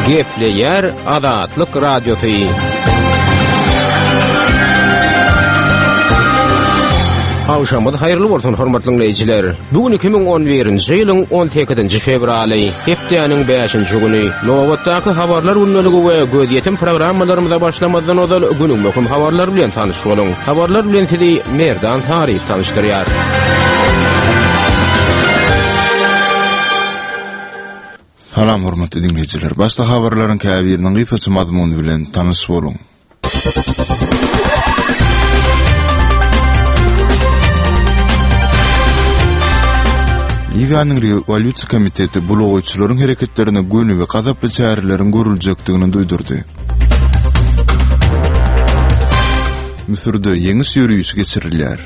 Gepleýär Azatlyk Radiosy. Agşamyňyz haýyrly bolsun, hormatly diňleýjiler. Bu gün 2011-nji ýylyň 18-nji fewraly, hepdäniň 5-nji güni. Nobatdaky habarlar gündeligi we gözýetim programmalarymyza başlamazdan ozal günüň möhüm habarlary bilen tanyş boluň. Habarlar bilen sizi Merdan Saryýew tanyşdyrýar. Salam hormatly diňleýjiler. Başda habarlaryň käbiriniň gysgaça mazmuny bilen tanyş boluň. Liwiýanyň Rewolýusiýa komiteti bulagaýçylaryň hereketlerine göni we gazaply çäreleriň görüljekdigini duýdurdy. Müsürde ýeňiş ýörişi geçirilýär.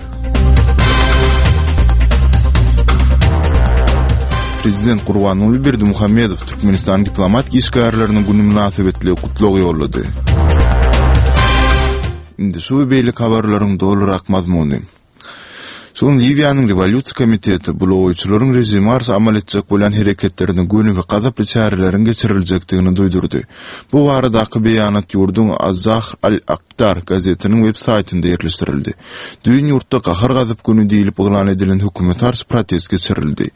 Prezident Gurbanguly Berdimuhamedow Türkmenistanyň diplomatik işgärleriniň güni mynasybetli gutlag ýollady. Indi şu we beýleki habarlaryň dolurak mazmuny. Şu gün Liwiýanyň Rewolýusiýa komiteti bulagaýçylaryň režime garşy amal etjek bolýan hereketlerine göni we gazaply çäreleriň geçiriljekdigini duýdurdy. Bu baradaky beýanat ýurduň Az-Zahr al-Akdar gazetiniň web saýtynda ýerleşdirildi. Düýn ýurtda Gahar-gazap güni diýlip yglan edilen hökümete garşy protest geçirildi.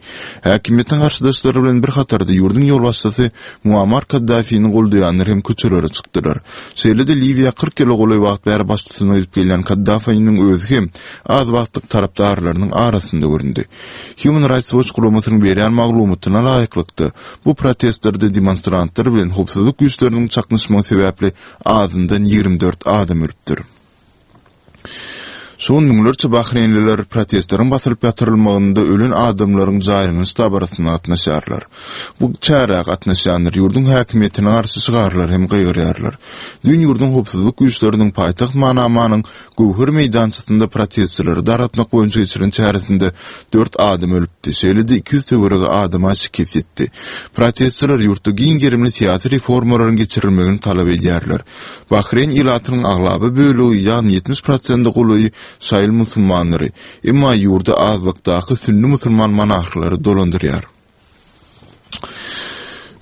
Häkimiýetiň garşydaşlary bilen bir hatarda ýurduň ýolbaşçysy Muammar Kaddafini goldaýanlar hem köçelere çykdylar. Şeýle-de Liwiýa 40 ýyla golaý wagt bäri baştutanlyk edip gelýän Kaddafiniň özi hem az wagtlyk tarapdarlarynyň arasynda göründi. Human Rights Watch guramasynyň berýän maglumatyna laýyklykda, bu protestlerde demonstrantlar bilen howpsuzlyk güýçleriniň çaknyşmagy sebäpli azyndan 24 adam ölüpdir. Şu gün müňlerçe bahreýnliler protestleriň basylyp ýatyrylmagynda ölen adamlaryň jaýlanyş dabarasyna gatnaşýarlar. Bu çärä gatnaşýanlar ýurduň häkimiýetine garşy şygarlar hem gygyrýarlar. Düýn ýurduň howpsuzlyk güýçleriniň paýtagt Manamanyň Göwher meýdançasynda protestçileri dargatmak boýunça geçiren çäresinde dört adam ölüpdi, şeýle-de 200 töweregi adama şikes ýetdi. Protestçiler ýurtda giň gerimli syýasy reformalaryň geçirilmegini talap edýärler. Bahreýn ilatynyň aglaba bölegi, ýagny 70 prosente golaýy şaýyl musulmanlary, emma ýurdy azlykdaky sünni musulman monarhlary dolandyrýar.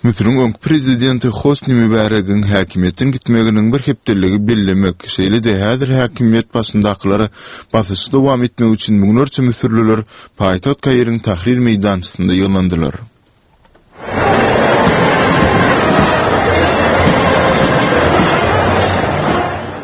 Müsüriň öňki prezidenti Hosni Mübäregiň häkimiýetden gitmeginiň bir hepdeligi bellemek, şeýle-de häzir häkimiýet başyndakylara basyşy dowam etmek üçin müňlerçe müsürliler paýtagt Kairiň Tahrir meýdançasynda ýygnandylar.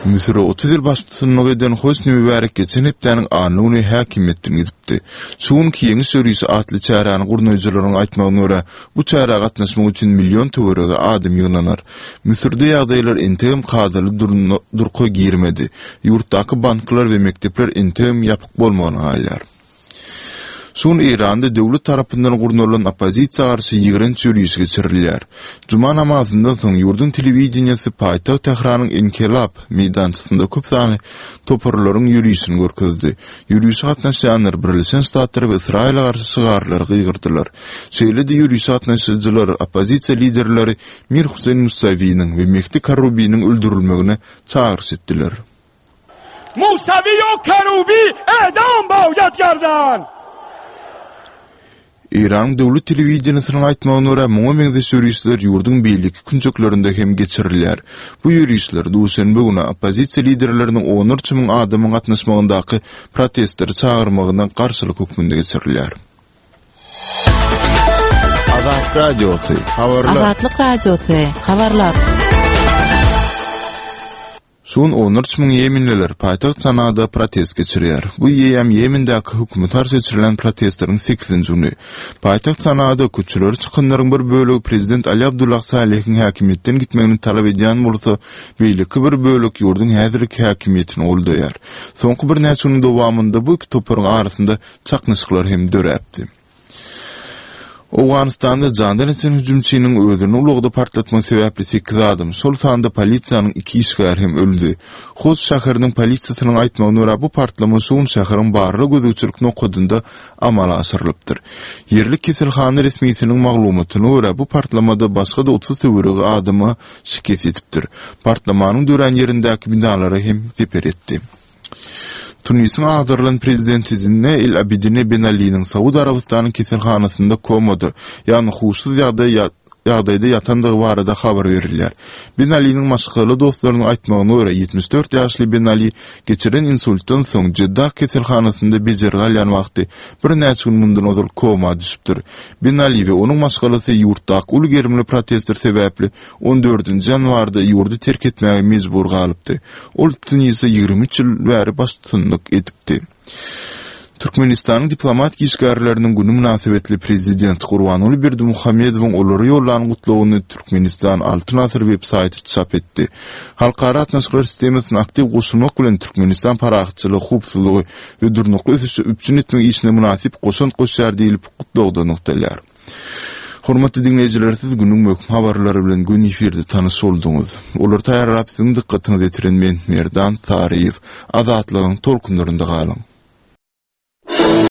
Müsüre 30 ýyl baştutanlyk eden Hosni Mübärek geçen hepdäniň anna güni häkimiýetden gidipdi. Şu günki Ýeňiş ýörişi atly çäräni gurnaýjylaryň aýtmagyna görä, bu çärä gatnaşmak üçin million töweregi adam ýygnanar. Müsürde ýagdaýlar entegem kadaly durka girmedi. Ýurtdaky banklar we mekdepler entegem ýapyk bolmagyna galýar. Şu gün Eýranda döwlet tarapyndan gurnalan oppozisiýa garşy ýigrenç ýörişi geçirilýär. Juma namazyndan soň ýurduň telewideniýesi paýtagt Tähranyň Enkelap meýdançasynda köp sanly toparlaryň ýörişini görkezdi. Ýörişe gatnaşýanlar Birleşen Ştatlara we Ysraýyla garşy şygarlary gygyrdylar. Şeýle-de ýörişe gatnaşyjylar oppozisiýa liderleri Mir Huseýn Musawiniň we Mehdi Karrubiniň öldürilmegine çagyryş etdiler. Musawi u Kerubi edam boýad gerdan! Eýranyň döwlet telewideniýesiniň aýtmagyna görä, muňa meňzeş ýörişler ýurduň beýleki künjeklerinde hem geçirilýär. Bu ýörişler duşenbe güni oppozisiýa liderleriniň onlarça müň adamyň gatnaşmagyndaky protestleri çagyrmagyna garşylyk hökmünde geçirilýär. Azat Radiosy, habarlar. Azatlyk Radiosy, habarlar. Şu gün onlarça müň ýemenliler paýtagt Sanada protest geçirýär. Bu eýýäm Ýemendäki hökümete garşy geçirilýän protestleriň sekizinji güni. Paýtagt Sanada köçelere çykanlaryň bir bölegi prezident Ali Abdullah Salehiň häkimiýetden gitmegini talap edýän bolsa, beýleki bir bölek ýurduň häzirki häkimiýetini goldaýar. Soňky birnäçe günüň dowamynda bu iki toparyň arasynda çaknyşyklar hem döräpdi. Owganystanda jandan ýiten hüjümçiniň özüni ulagda partlatmagy sebäpli sekiz adam, şol sanda polisiýanyň iki işgäri hem öldi. Host şäheriniň polisiýasynyň aýtmagyna görä, bu partlama şu gün şäheriň barlag-gözegçilik nokadynda amala aşyrylypdyr. Ýerli keselhana resmisiniň maglumatyna görä, bu partlamada başga-da 30 töweregi adama şikes ýetipdir. Partlamanyň dörän ýerindäki binalara hem zeper ýetdi. Tunisiň agdarylan prezidenti Zine El Abidine Ben Aliniň Saud Arabystanyň keselhanasynda komada, ýagny huşsuz ýagdaý. ýagdaýda ýatandygy barada habar berilýär. Ben Aliniň maşgala dostlarynyň aýtmagyna görä, 74 ýaşly Ben Ali geçiren insultdan soň Jeddah keselhanasynda bejergi alýan wagty birnäçe gün mundan ozal koma düşüpdir. Ben Ali we onuň maşgalasy ýurtdaky uly gerimli protestler sebäpli on dördünji ýanwarda ýurdy terk etmäge mejbur galypdy. Ol Tunise 23 ýyl bäri baştutanlyk edipdi. Türkmenistanyň diplomatik işgärleriniň güni mynasybetli Prezident Gurbanguly Berdimuhamedowyň olara ýollan gutlagyny Türkmenistan Altyn Asyr web saýty çap etdi. Halkara gatnaşyklar sistemasyna aktiw goşulmak bilen Türkmenistan parahatçylygy, howpsuzlygy we durnukly ösüşi üpjün etmek işine mynasyp goşant goşýar diýlip, gutlagda nygtalýar. Hormatly diňleýjiler siz günüň möhüm habarlary bilen göni efirde tanyş bolduňyz. Olary taýýarlap siziň dykgatyňyza ýetiren men Merdan Saryýew. Azatlygyň tolkunlarynda galyň.